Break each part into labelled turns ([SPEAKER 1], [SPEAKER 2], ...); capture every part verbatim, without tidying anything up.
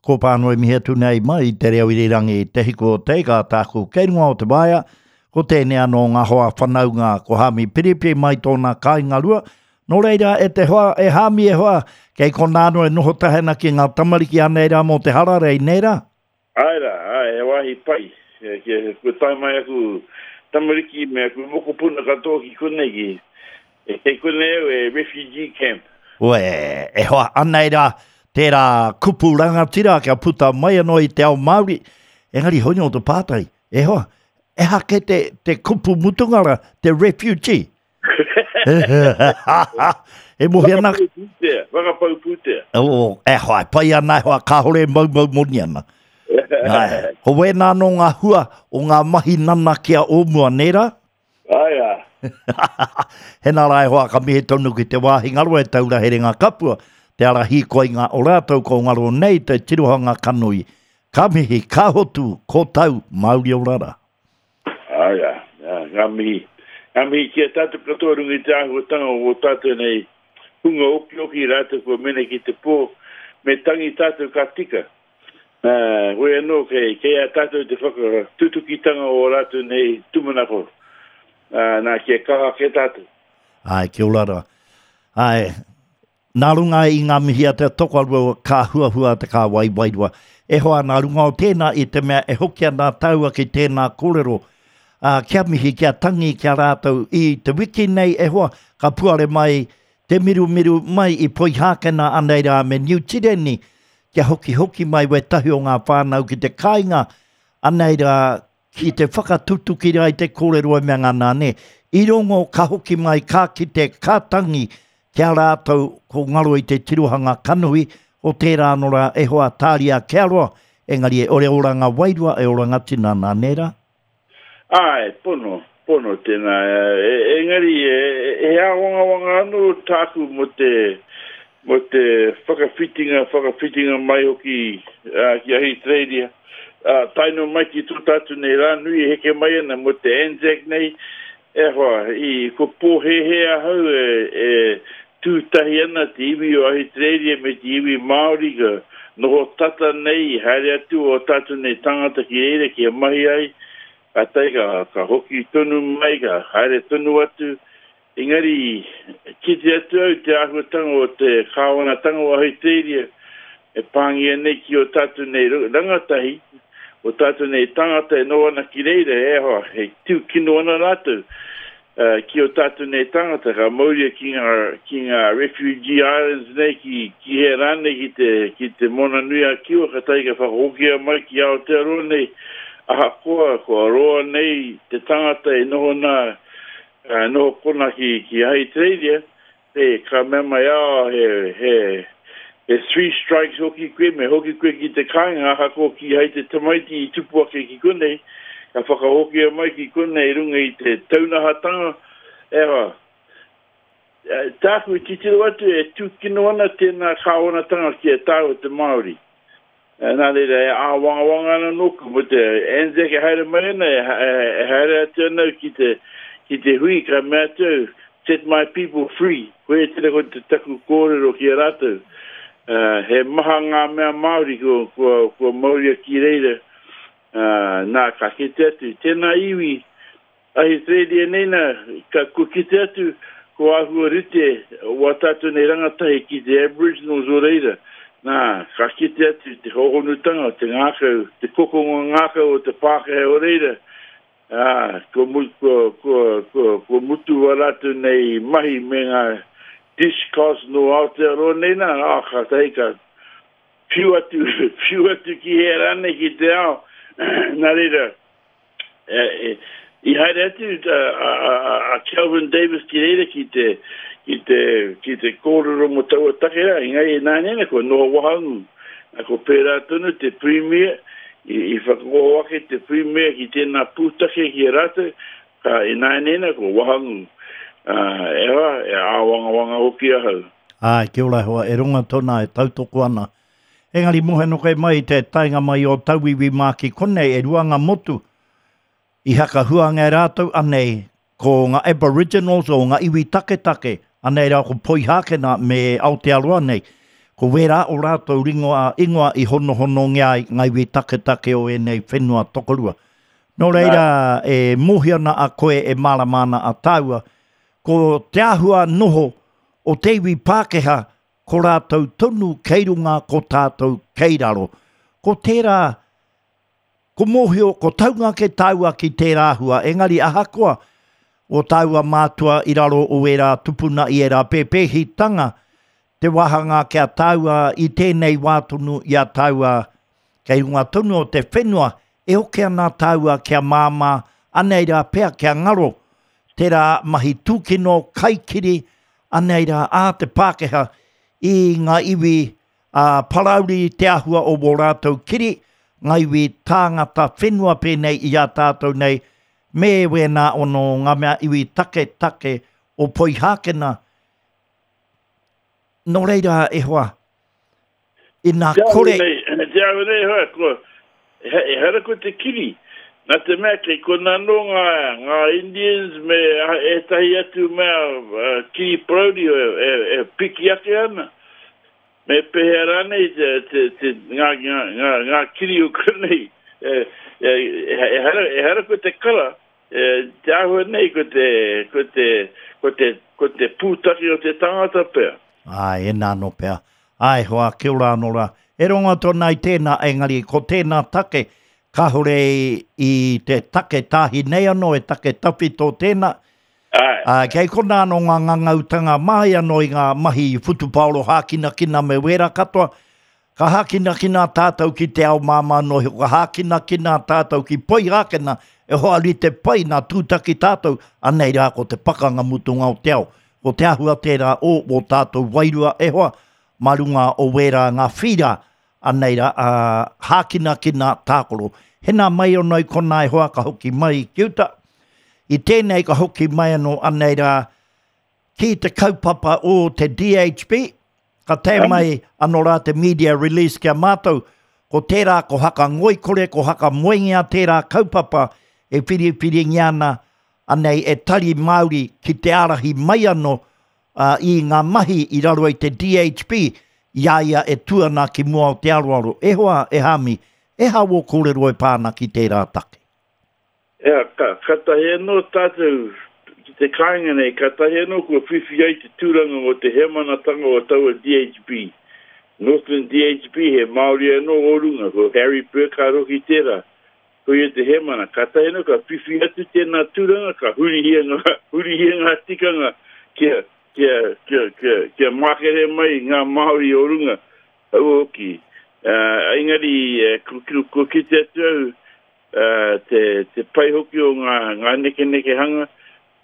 [SPEAKER 1] Ko pānui mihi atu nei mai i te reo irirangi Te Hiku o Te Ika tāku kei runga o te waea. Ko tēnei anō ngā hoa whanaunga ko Hami Piripi mai tōna kāinga rua. Nō reira e te hoa, e Hami e hoa, kei konā anō e noho tahi ana ki ngā tamariki anei rā mō te hararei, nē rā?
[SPEAKER 2] Āe rā, āe, he wāhi pai. Kua tae mai aku tamariki me aku mokopuna katoa ki konei, ki, kei konei au e refugee camp.
[SPEAKER 1] Uē, e hoa, anei rā, tērā kupu rangatira kia puta mai anō i te ao Māori. Engari hoi nō te pātai, e hoa, ehake te, te kupu mutunga rā, te refugee. E mohi ana...
[SPEAKER 2] Whakapau pūtea, whakapau pūtea.
[SPEAKER 1] Oh, e hoa, e pai ana, e hoa, kāhore e maumau moni ana. Ai, ko wēnā anō ngā hua o ngā mahi nanakia o mua, nē rā?
[SPEAKER 2] Ai rā.
[SPEAKER 1] Hena rā e hoa, ka mihi tonu ki te wāhi ngaro e taura herenga kapua, te ara hīkoinga o rātou ko ngaro nei te tirohanga kanoi. Ka mihi, ka hotu, ko tau, mauri ora rā.
[SPEAKER 2] Ai rā, ngā mihi. Ngā mihi ki a tātou katoa runga i te āhuatanga o ō tātou nei hunga okioki rātou kua mene ki te pō, me tangi tātou ka tika. Hoi anō, kei, kei a tātou te whakatutukitanga o ō rātou nei tūmanako. Nā, kia kaha ake tātou.
[SPEAKER 1] Āe, kia ora rā. Āe, nā runga i ngā mihi a te tokorua ka huahua te kāwai wairua. E hoa, nā runga o tēnā i te mea e hoki ana tāua ki tēnā kōrero, ā, kia mihi, kia tangi ki a rātou i te wiki nei, e hoa, ka puare mai te mirumiru mai i Poihākena anei rā me Niu Tireni, kia hokihoki mai wētahi o ngā whānau ki te kāinga, anei rā, ki te whakatutuki rā i te kōrero e mea ngana, nē. I rongo ka hoki mai, ka kite, ka tangi ki a rātou ko ngaro i te tirohanga kanohi o tērā anō rā e hoa tāria kia roa, engari e ore oranga wairua, e oranga tinana, nē rā?
[SPEAKER 2] Āe, pono, pono tēnā. Engari he āwangawanga anō tāku mō te, mō te whakawhitinga, whakawhitinga mai hoki ki Ahitereiria. Tae noa mai ki tō tātou nei rā nui e heke mai ana mō te Anzac nei, e hoa, i, kua pōhēhē ahau e, e tū tahi ana te iwi o Ahitereiria me te iwi Māori ka noho tata nei, i haere atu ō tātou nei tangata ki reira kia mahi ai, kātahi ka, ka hoki tonu mai, ka haere tonu atu. Engari, kite atu au te āhuatanga o te kāwanatanga o Ahitereiria e pāngia nei ki ō tātou nei rangatahi, o tātou nei tangata e noho ana ki reira, e hoa, e tūkino ana rātou ki ō tātou nei tangata, ka mauria ki ngā, ki ngā refugee islands nei, ki, ki hea rānei, ki te, ki te Moana-nui-a-Kiwa, kātahi ka whakahokia mai ki Aotearoa nei, ahakoa kua roa nei te tangata e noho nā, Ka noho kona ki, ki Ahitereiria, e, ka mea mai, oh, he, he, he three strikes hoki koe, me hoki koe ki te kāinga, ahakoa kīhai te tamaiti i tupu ake ki konei, ka whakahokia mai ki konei i runga i te taunahatanga, e hoa, tāku i titiro atu e tūkino ana tēnā kāwanatanga ki a tāua te Māori. Nā reira, e āwangawanga ana nōku mō te Anzac e haere mai ana, e haere atu ana au ki te, ki te hui, ka mea atu au, set my people free. Koia tērā ko te taku kōrero ki a rātou. He maha ngā mea Māori kua, kua, kua mauria ki reira, nā, ka kite atu, tēnā iwi, Ahitereiria nei nā, ka, kua kite atu, ko āhua rite wā tātou nei rangatahi ki te Aboriginals o reira. Nā, ka kite atu te hōhonutanga, te ngākau, te kokonga ngākau o te Pākehā o reira, ā, kua, kua, kua, kua, kua mutu wā rātou nei mahi me ngā dishcloths nō Aotearoa nei nā, ā, kātahi ka whiu atu, whiu atu ki hea rānei ki te ao. Nā reira, I haere atu a Kelvin Davis ki reira ki te, ki te, ki te kōrero mō taua take rā, engari ināianei kua noho wahangū. Nā, kua pērā tonu te Premier, i, i whakaoho ake te Premier ki tēnā pūtake ki a rātou, ka ināianei kua wahangū. Ā, e hoa, e āwangawanga hoki ahau.
[SPEAKER 1] Āe, kia ora e hoa, e ronga tona e tautoko ana. Engari mohe koe mai te taenga mai o tauiwi mā ki konei, e rua ngā motu, I hakahuangia e rātou anei ko ngā Aboriginals o ngā iwi taketake, anei rā ko Poihākena me Aotearoa nei. Ko wērā o rātou ringoa, ingoa i honohonongia ai ngā iwi taketake o ēnei whenua tokorua. Nō reira, e mōhio ana a koe e mārama ana a tāua, ko te āhua noho o te iwi Pākehā, ko rātou tonu kei runga, ko tātou kei raro. Ko tērā, ko mōhio, ko taunga ke tāua ki tērā āhua, engari ahakoa o tāua mātua i raro o ērā tupuna i ērā pēpēhitanga, te wāhanga kia tāua i tēnei wā tonu i a tāua kei runga tonu o te whenua, e oke ana tāua kia māmā, anei rā pea kia ngaro, tērā mahi tūkino, kaikiri, anei rā a te Pākehā i ngā iwi a parauri te āhua o wō rātou kiri, ngā iwi tāngata whenua pēnei i a tātou nei, me wēnā ono ngā mea iwi take take o Poihākena. Nō reira e hoa, ina
[SPEAKER 2] Te ahu
[SPEAKER 1] kore...
[SPEAKER 2] nei, te ahu nei hoa, ko, he, ehara ko te kiri. Nā te mea kei kona anō ngā, ngā Indians me ētahi atu mea uh, kiri parauri e, e, e piki ake ana. Me pēhea rānei te, te, te, ngā, ngā, ngā, ngā kiri o konei. E, e, ehara, ehara ko te kara, e, te āhua nei ko te, ko te, ko te, ko te pūtake o te tangata pea.
[SPEAKER 1] Ai, e nā no pea. Ai, hoa, kia ora anō rā. E rongo tōna i tēnā, engari, ko tēnā take, kāhore i te take tāhi nei anō, e take tawhito tēnā.
[SPEAKER 2] Ai.
[SPEAKER 1] Ā, kei kona anō ngā ngangautanga mai anō i ngā mahi whutupaoro hākinakina me wērā katoa. Ka hākinakina tātou ki te ao māmā no, ka hākinakina tātou ki Poihākena, e hoa rite pai nā tūtaki tātou, anei rā ko te pakanga mutunga o te ao. Ko te āhua tērā o o tātou wairua e hoa, mā runga o wērā ngā whira, anei rā, ā, hākinakina tākoro. Hena mai ono i kona e hoa ka hoki mai ki uta. I tēnei ka hoki mai anō anei rā ki te kaupapa o te D H B, ka tae mai anō rā te media release kia mātou, ko tērā ko haka ngoikore, ko haka moengia tērā kaupapa e whiriwhiringia ana anei e Tari Māori ki te ārahi mai anō, ā, i ngā mahi i raro i te D H B, i a ia e tū ana ki mua o te aroaro. E hoa, e Hami, e hā wō kōrero e pāna ki tērā take?
[SPEAKER 2] Ea, ka, ka tahi anō tātou ki te kāinga nei, ka tahi anō kua whiwhi ai te tūranga o te hemanatanga o taua D H B. Northland D H B, he Māori anō o runga, ko Harry Burkhardt hoki tērā. Ko ia te hemana. Ka tahi anō, ka whiwhi atu tēnā tūranga, ka hurihia ngā, hurihia ngā tikanga kia, kia, kia, kia, kia mākere mai ngā Māori o runga. Hau hoki. Uh, engari, eh, ko, ko, ko kite atu au, uh, te, te pai hoki o ngā, ngā nekenekehanga.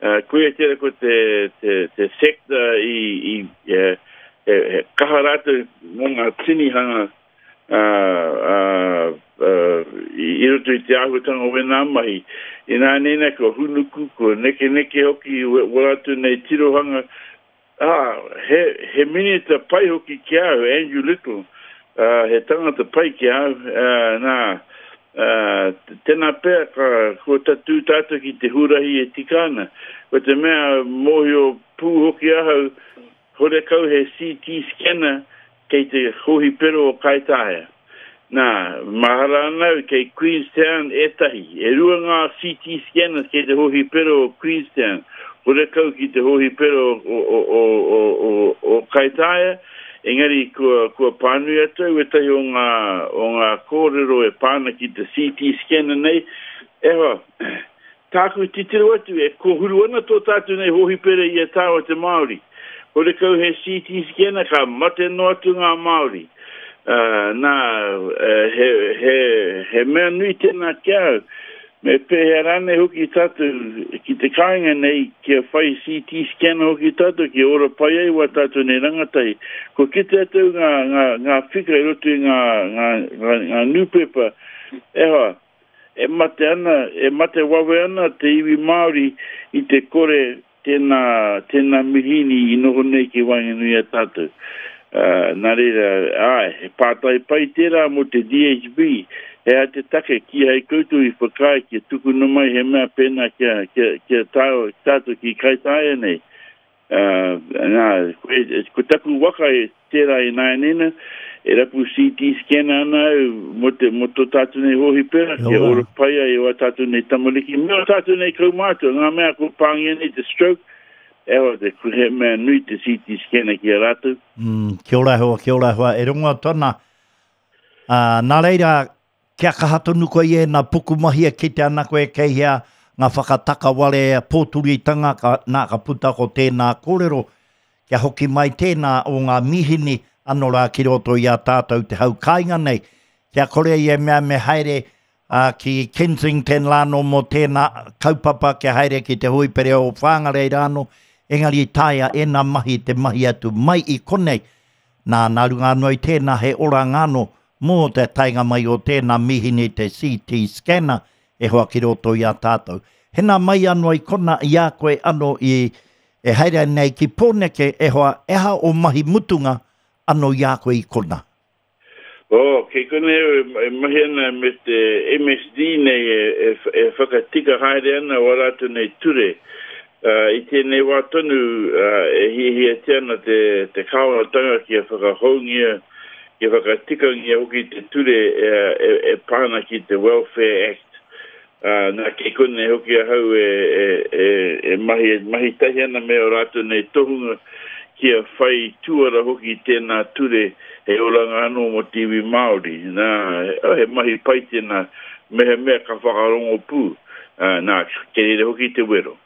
[SPEAKER 2] Uh, koia tērā ko te, te, te sector i, i, e, e, e kaha rātou mō ngā tinihanga, uh, uh, uh, i, i roto i te āhuatanga o wēnā mahi. Inā nēnā ko hunuku, ko nekeneke hoki, wā rātou nei tirohanga. Ah, he, he minita pai hoki ki au, Andrew Little. Uh, he tangata pai ki au, uh, nā, uh, tēnā pea ka, ko tatū tātou ki te hurahi e tika ana. Ko te mea mōhio pū hoki ahau, horekau he C T scanner kei te hohipero o Kaitaia. Nā, mahara ana au kei Queenstown ētahi. E rua ngā C T scanners kei te hohipero o Queenstown. Horekau ki te hohipero o, o, o, o, o, o Kaitaia. Engari kua, kua pānui atu au ētahi o ngā, o ngā kōrero e pāna ki te C T scanner nei. E hoa, tāku titiro atu e kōhuru ana tō tātou nei hohipere i a tāua te Māori. Horekau he C T scanner ka mate noa atu ngā Māori. Uh, nā, he, he, he mea nui tēnā ki au. Me pēhea rānei hoki tātou ki te kāinga nei kia whai C T scanner hoki tātou ki ora pai ai wā tātou nei rangatahi. Ko kite atu ngā, ngā, ngā whika i roto i ngā, ngā, ngā, ngā newspaper. E hoa, e mate ana, e mate wawe ana te iwi Māori i te kore tēnā, tēnā mihini i noho nei ki waenganui a tātou. Uh, nā reira, ai, he pātai pai tērā mō te D H B. He a te take ki hei koutou i whakaae kia tukuna mai he mea pēnā kia, kia, kia tāo, tātou ki Kaitaia nei. Uh, nā, ko, ko taku waka e, tērā i nāianei nā, e rapu C T scanner ana au mō te mō tō tātou nei hōhipera, kia ora pai ai o tātou nei tamariki, me o tātou nei kaumātua, ngā mea kua pāngia nei te stroke, e hoa, te, he mea nui te C T scanner ki a rātou.
[SPEAKER 1] Mm, kia ora hoa, kia ora hoa, e rongo atu ana. Uh, nā reira, kia kaha tonu koe i ēnā pukumahi e kite ana koe kei hea ngā whakatakaware pōturitanga ka, nā ka puta ko tēnā kōrero, kia hoki mai tēnā o ngā mihini anō rā ki roto i a tātou te hau kāinga nei, kia kore i e mea me haere uh, ki Kensington rānō mō tēnā kaupapa, kia haere ki te hoipere o Whangarei rānō, engari taea ēnā mahi te mahi atu mai i konei. Nā, nā runga anō i tēnā he oranga anō mō te taenga mai o tēnā mihini te C T scanner e hoa ki roto i a tātou. Hena mai anō i kona i a koe anō i e haere nei ki Pōneke e hoa e aha o mahi mutunga anō i a koe i kona.
[SPEAKER 2] Oh, kei konei au e, e mahi ana me te M S D nei e, e, e whakatika haere ana o rātou nei ture. Uh, i tēnei wā tonu uh, e hiahiatia ana te, te kāwanatanga kia whakahoungia, kia whakatikangia hoki te ture e, e, e pā ana ki te Welfare Act. Uh, nā kei konei hoki ahau e, e, e, e mahi, mahi tahi ana me o rātou nei tohunga kia whai tuara hoki tēnā ture he oranga anō mō te iwi Māori. Nā, he mahi pai tēnā, mehemea ka whakarongo pū. Uh, nā, kei reira hoki te wero.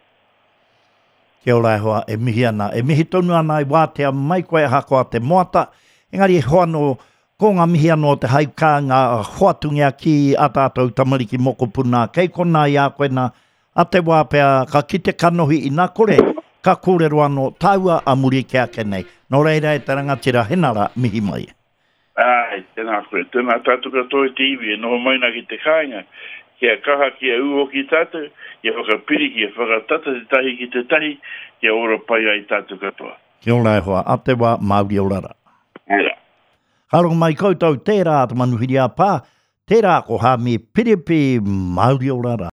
[SPEAKER 1] Kia ora e hoa, e mihi ana. E mihi tonu ana i wātea mai koe ahakoa te moata. Engari e hoa no, ko ngā mihi anō te haukā ngā hoatungia ki a tātou tamariki mokopuna. Kei kona i a koe nā, a te wā pea ka kite kanohi ina kore, ka kōrero anō tāua a muri ke ake nei. Nō reira e te rangatira henara mihi mai.
[SPEAKER 2] Ai, tēnā koe, tēnā tātou katoa i te iwi e noho mai nā ki te kāinga, kia kaha kia ū hoki tātou, kia whakapiri, kia whakatata te tahi ki te tahi, kia ora pai ai tātou katoa.
[SPEAKER 1] Kia ora e hoa, a te wā Māori ora rā.
[SPEAKER 2] Ora.
[SPEAKER 1] Ka rongo mai koutou tērā te manuhiri a pā, tērā ko Hami Piripi Māori ora rā.